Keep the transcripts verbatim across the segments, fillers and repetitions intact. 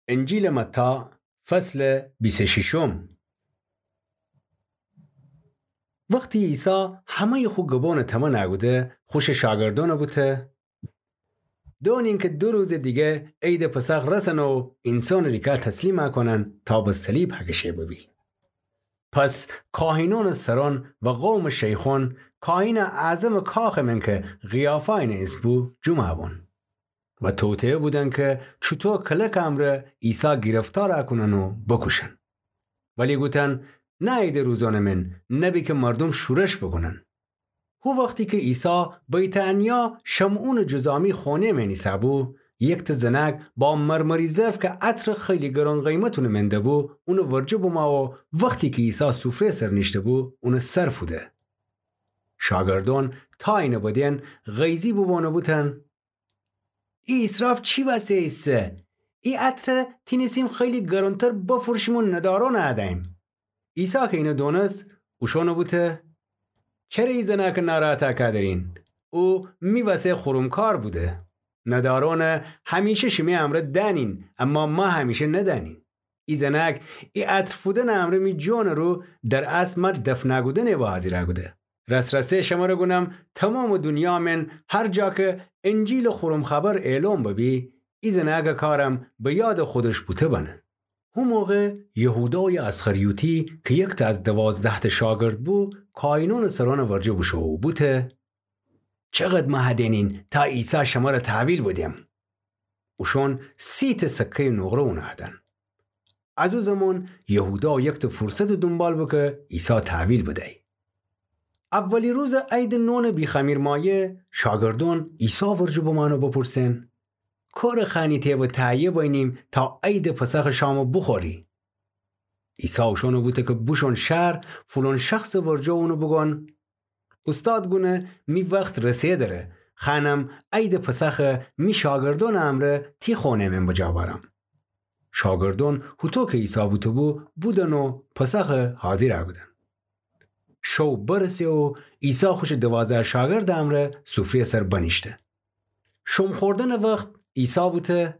انجیلٚ متی، فصلٚ بیست و ششم. وختی عیسی همه‌یٚ خو گبونٚ تمنَ کوده، خوشٚ شاگردأنَ بوته: دونین که دو روزٚ دیگه عیدٚ پسخ رسن و اینسانٚ ریکه تسلیمَ کونن تا به صلیب هکشه ببی. پس کاهینأنٚ سرأن و قومٚ شیخأن، کاهینٚ اعظمٚ کاخٚ من که قیافا اینٚ اسم بو، جمعَ بون و توطئه بودن که چوطو کلکٚ امرأ عیسی گیرفتارَ کونن و بوکوشن. ولی گوتن: نه عیدٚ روزأنٚ من، نبی که مردوم شورش بوکونن. هو وختی که عیسی بیت‌عنیا شمعونٚ جذامی خونه‌یٚ من ایسه‌بو، یکته زنأک با مرمری ظرف که عطرٚ خیلی گران قیمت اونٚ من دبو، اونٚ ورجه بمأ و وختی که عیسی سفره‌یٚ سر نیشته‌بو، اونٚ سر فوده. شاگردأن تا اینٚ بدین غیظی بوبون و بوتن: ای اسراف چی وسه ایسه؟ ای عطر تینستیم خیلی گرانتر بفروشیم و ندارأنَ هدییم. عیسی که اینَ دونست، اوشأنَ بوته: چره ای زنأکَ ناراحتَ کودرین؟ او می وسه خورمکار بوده. ندارأنَ همیشه شیمی امرأ دأنین، اما مه همیشه ندأنین. ای زنأک ای عطر فودنٚ امرأ می جانٚ رو در اصل مه دفنَ کودنٚ وأ حاضیرَ کوده. راس‌راستٚ شمره گونم، تومامٚ دونیا من هر جا که انجیلٚ خورم خبر اعلام ببی، ای زنأکٚ کارم به یادٚ خودش بوته بنه. هو موقع یهودایٚ اسخریوطی که یکته از دوازده‌تأ شاگرد بو، کاهینأنٚ سرأنٚ ورجه بوشو و بوته: چقدر مه هدینین تا عیسی شمره تحویل بدیم؟ اوشأن سی‌تأ سکه‌یٚ نقره اونَ هدن. از او زمان یهودا یکته فرصتٚ دونبال بو که عیسی تحویل بدی. اولی روزٚ عیدٚ نونٚ بی‌خمیر مایه، شاگردأن عیسی ورجه بمأن و بپرسن: کوره خوأنی تی به تهیه بینیم تا عیدٚ پسخٚ شام بوخوری؟ عیسی اوشأنَ بوته که بوشون شهر، فلان شخصٚ ورجه اونَ بوگون: اوستاد گونه می وخت رسه دره، خوأنم عیدٚ پسخَ می شاگردأنٚ امرأ تی خونه من بجا بأرم. شاگردأن هوطو که عیسی بوته‌بو، بودن و پسخَ حاضیرَ کودن. شو برسه و عیسی خوشٚ دوازده شاگردٚ امرأ سفره‌یٚ سر بنیشته. شوم خوردنٚ وخت عیسی بوته: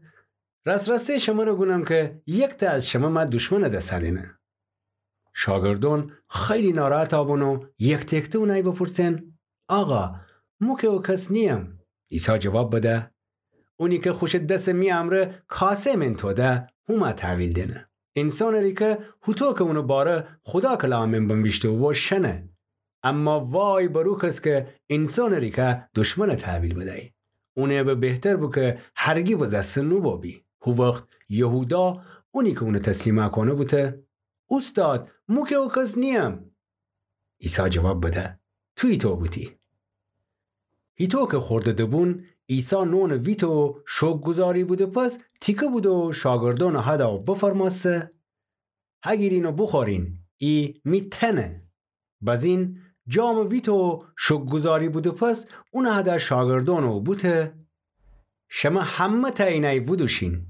راس‌راستٚ شمره گونم که یکته از شمه مه دشمنٚ دس دینه. شاگردأن خیلی ناراحتَ بون و یکته یکته اونَی بپرسن: آقا، مو کی او کس نییم؟ عیسی جواب بده: اونی که خوشٚ دسَ می امرأ کاسه من توده، هو مه تحویل دینه. اینسانٚ ریکه هوطو که اونٚ باره خودا کلامٚ من بنویشته بو شنه. اما وای بر او کس که اینسانٚ ریکه دشمنَ تحویل بدی. اونٚ به بهتر بو که هرگی بزسته نوبو بی. هو وخت یهودا، اونی که اونَ تسلیمَ کونه، بوته: اوستاد، مو کی او کس نییم. عیسی جواب بده: تو هیطو بوتی. هیطو که خورده دبون، عیسی نونَ ویته و شوکرگزاری بوده پس تیکه بوده و شاگردأنٚ هده و بفرمأسته: هگیرین و بوخورین، ای می تنه. بزین جامَ ویته و شوکرگزاری بوده پس اونَ هده شاگردأنَ و بوته: شمه همه‌تأ اینَی ودوشین.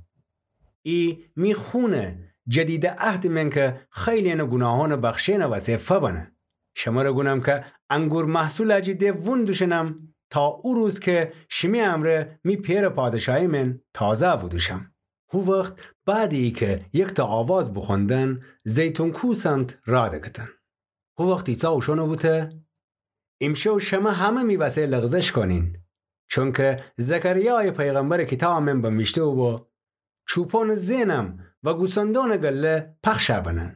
ای می خونه، جدیدٚ عهدٚ من که خیلینٚ گوناهأنٚ بخشینٚ وسه فبنه. شمره گونم که انگور محصولَ جٚه ده وون دوشنم تا او روز که شیمی امرأ می پئرٚ پادشاهی من تازه ودوشم. هو وخت بعدٚ ایکه یکته آواز بوخوندن، زیتون کوه سمت راه دکتن. هو وخت عیسی اوشأنَ بوته: ایمشو شمه همه می وسه لغزش کونین، چونکه زکریایٚ پیغمبرٚ کیتابٚ من بنویشته بو: چوپانٚ زئنم و گوسندأنٚ گله پخشَ بنن.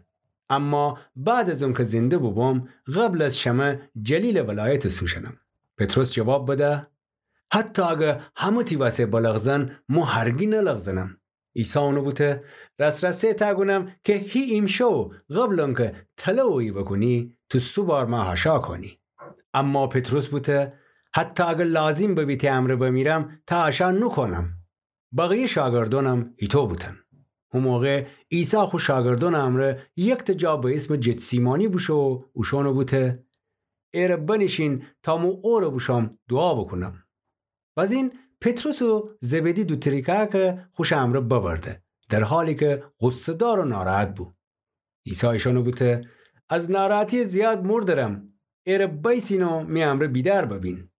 اما بعد از اونکه زنده بوبوم، قبل از شمه جلیلٚ ولایت سوشنم. پطرس جواب بده: حتی اگه همه تی وسه بلغزن، مو هرگی نلغزنم. عیسی اونَ بوته: راس‌راستٚ تأ گونم که هی ایمشو قبل اونکه تله اویی بوکونی، تو سه بار مه هاشا کونی. اما پطرس بوته: حتی اگه لازم ببی تی امرأ بمیرم، تأ هاشا نوکونم. بقیه شاگردأنم هیطو بوتن. هو موقع عیسی خو شاگردأنٚ امرأ یکته جا به اسمٚ جتسیمانی بوشو و اوشأنَ بوته: ایره بنیشین تا مو اوره بوشوم دوعا بوکونم. بزین پطرس و زبدی دوتأ ریکه‌کَ خوشٚ امرأ ببرده، در حالی که غصه‌دار و ناراحت بو. عیسی ایشأنَ بوته: از ناراحتی زیاد مردرم، ایره بیسین و می امرأ بیدار ببین.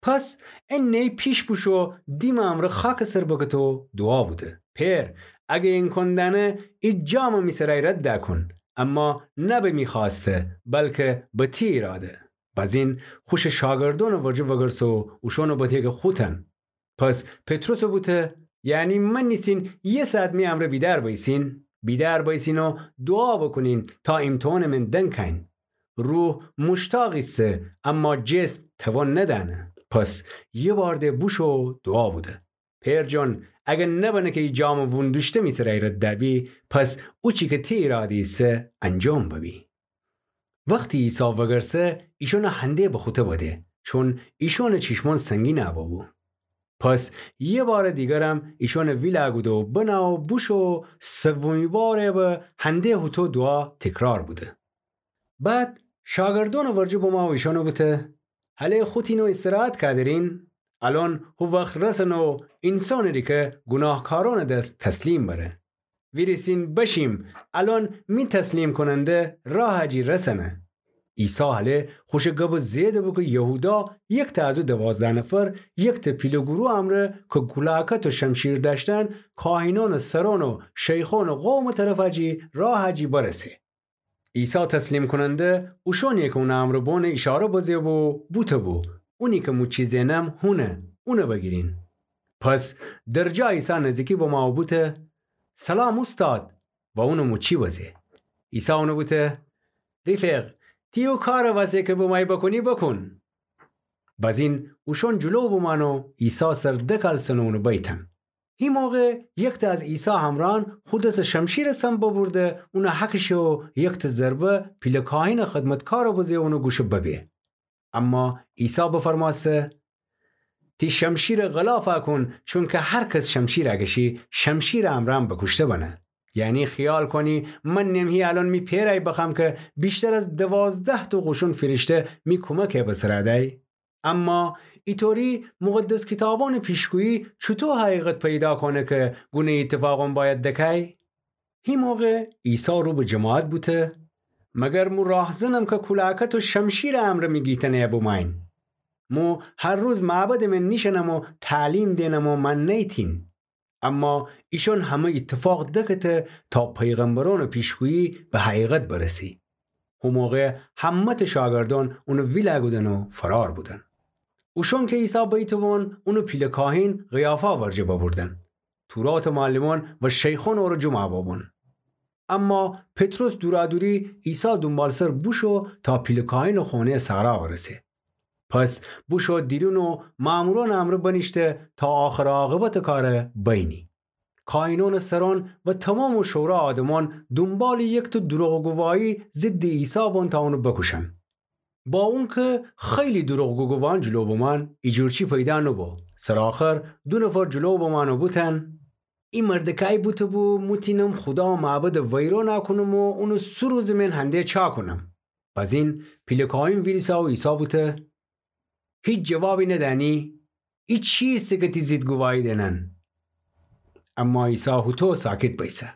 پس انه‌یی پیش بوشو دیمٚ امرأ خاکٚ سر بکته و دوعا بوده: پئر، اگه ایمکان دأنه، ای جامٚ می سرای رد دکون. اما نه به می خوأسته، بلکه به تی ایراده. بزین خوشٚ شاگردأنٚ ورجه وگرسه و اوشأنَ بته‌که خوتن. پس پطرسَ بوته: یعنی مأنیسین یه ساعت می امرأ بیدار بیسین؟ بیدار بیسین و دوعا بوکونین تا ایمتحانٚ من دنکاین. روح موشتاق ایسه، اما جسم توان ندأنه. پس یه بار ده بوشو دوعا بوده. پئر جان، اگر نبنه که ای جامٚ وون دوشته می سرای رد دبی، پس اوچی که تی ایراده ایسه انجام ببی. وختی عیسی وگرسه، ایشأنَ هنده بخوته بده، چون ایشأنٚ چیشمأن سنگین ببو. پس یه بارٚ دیگرم ایشأنَ ویلا کوده و بنه و بوشو و سومی بار به هنده هوطو دوعا تکرار بوده. بعد شاگردأنٚ ورجه بمو و ایشأنَ بوته: هله خوتین و استراحت کودرین؟ الأن هو وخت رسنه و اینسانٚ ریکه گوناهکارأنٚ دس تسلیم بره. ویریسین بشیم، الأن می تسلیم کوننده راه جی رسنه. عیسی هله خوشٚ گبَ زیأده بو که یهودا، یکتأ از او دوازده نفر، یکتأ پیله گروه امرأ که کولاکت و شمشیر دأشتن، کاهینأنٚ سرأن و شیخأنٚ قومٚ طرف جی راه جی برسه. عیسی تسلیم کوننده اوشأنیی که اونٚ امرأ بون ایشاره بزه بو، بوته بو: اونی که موچی زئنم هونه، اونَ بگیرین. پس درجا عیسی نزدیکی بمو و بوته: سلام اوستاد، و اونٚ موچی بزه. عیسی اونَ بوته: ریفق، تی او کارٚ وسه که بمایی بکونی بکون. بزین اوشأن جلو بمانه و عیسی سر دکلسنه و اونَ بیتن. هی موقع یکتأ از عیسی همراهأن خو دسٚ شمشیرٚ سم ببرده، اونَ هکشه و یکتأ ضربه پیله کاهینٚ خدمتکارَ بزه و اونٚ گوشَ ببه. اما عیسی بفرمأسه: تی شمشیرَ غلافَ کون، چونکه هر کس شمشیر اکشی، شمشیرٚ امرأم بکوشته بنه. یعنی خیال کونی من نم هی الأن می پئرأی بخوأم که ویشتر از دوازده‌تأ قوشون فیرشته می کومکَ به سر دأی؟ اما ایطوری مقدس کیتابأنٚ پیشگویی چوطو حقیقت پیدا کونه که گونه‌یی ایتفاقأن بأید دکأی؟ هی موقع عیسی رو به جماعت بوته: مگر مو راهزنم که کولاکت و شمشیرٚ امرأ می گیتنه‌یَ بمأیین؟ مو هر روز معبدٚ من نیشأنم و تعلیم دئنم و مأن نیتین. اما ایشأن همه ایتفاق دکته تا پیغمبرأنٚ پیشگویی به حقیقت برسی. هو موقع همه‌تأ شاگردأن اونَ ویلا کودن و فرار بودن. اوشأن که عیسی بیته بون، اونَ پیله کاهین قیافا ورجه ببردن. توراتٚ معلمأن و شیخأن اورَ جمع ببون. اما پطرس دورادوری عیسی دونبالسر بوشو تا پیله کاهینٚ خونه‌یٚ صحرا ورسه. پس بوشو دیرون و مأمورأنٚ امرأ بنیشته تا آخر عاقبتٚ کارَ بینی. کاهینأنٚ سرأن و تومامٚ شورا آدمأن دونبالٚ یکتأ دروغ گواهی ضدٚ عیسی بون تا اونَ بکوشن. با اونکه خیلی دروغ گوگوان جلو بمأن، ایجورچی پیدا نوبو. سرٚ آخر دو نفر جلو بمأن و بوتن: ای مردکأی بوته بو مو تینم خودا معبدَ ویرانَ کونم و اونٚ سو روزٚ من هنده چا کونم. بزین پیله کاهین ویریسه و عیسی بوته: هیچ جوابی ندأنی؟ ای چیسه که تی ضد گواهی دئنن؟ اما عیسی هوطو ساکت بیسه.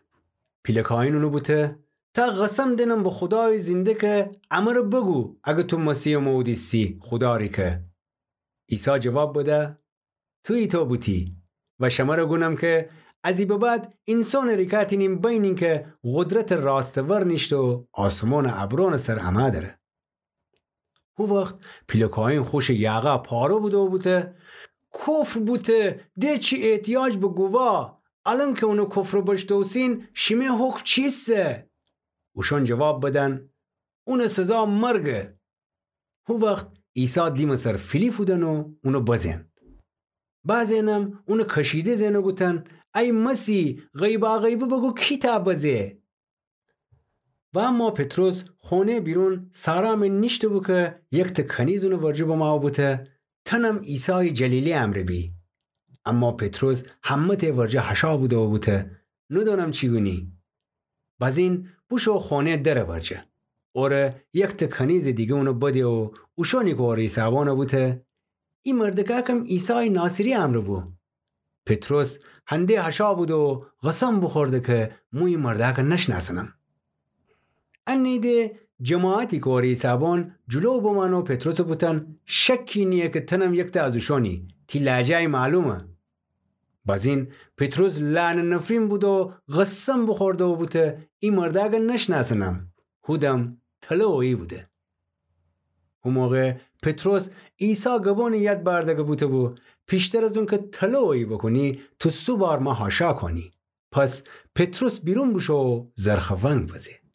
پیله کاهین اونَ بوته: تا قسم دئنم به خودایٚ زنده که امرَ بگو، اگر تو مسیحٚ مئود ایسی، خودا ریکه. عیسی جواب بده: تو ایتو بوتی. و شمرَ گونم که از ای به بعد اینسانٚ ریکه تینین بینین که قدرتٚ راستٚ ور نیشته و آسمانٚ ابرأنٚ سر امه دره. هو وخت پیله کاهین خوشٚ یاغا پاره بوده و بوته: کفر بوته، ده چی احتیاج به گواه؟ الأن که اونٚ کفرَ بشنوسین، شیمه حکم چیسه؟ اوشأن جواب بدن: اونٚ سزا مرگه. هو وخت عیسی دیمٚ سر فیلی فودن و اونَ بزئن. بعضی‌ینم اونَ کشیده زئن و گوتن: ای مسیح، غیبا غیبی بگو کی تأ بزه؟ و اما پطرس خونه‌یٚ بیرون صحرا من نیشته بو که یکتأ کنیز اونٚ ورجه بمو و بوته: تأنم عیسایٚ جلیلی امرأ بی. اما پطرس همه‌تأ ورجه هشا بوده و بوته: ندونم چی گونی. بزین بوشو خونه‌یٚ درٚ ورجه. اوره یکتأ کنیزٚ دیگه اونَ بده و اوشأنی که اوره ایسه‌بو اونَ بوته: ای مردکه کم عیسایٚ ناصری امرأ بو. پطرس هنده هشا بوده و قسم بوخورده که مو ای مردکه نشنأسنم. انی‌ده جماعتی که اوره ایسه‌بون جلو بمأن و پطرسَ بوتن: شکی نییه که تأنم یکتأ از اوشأنی، تی لهجه‌یی معلومه. بازین پطرس لعنت نفرین بوده و قسم بوخورده و بوته: ای مرده اگر نشنأسنم، هودم طلا اویی بوده. هو موقع پطرس عیسی گبانٚ یاد بأرده‌گه بوته‌بو: پیشتر از اونکه طلا اویی بوکونی، تو سو بار مه حاشا کونی. پس پطرس بیرون بوشو و زرخوأنگ بزه.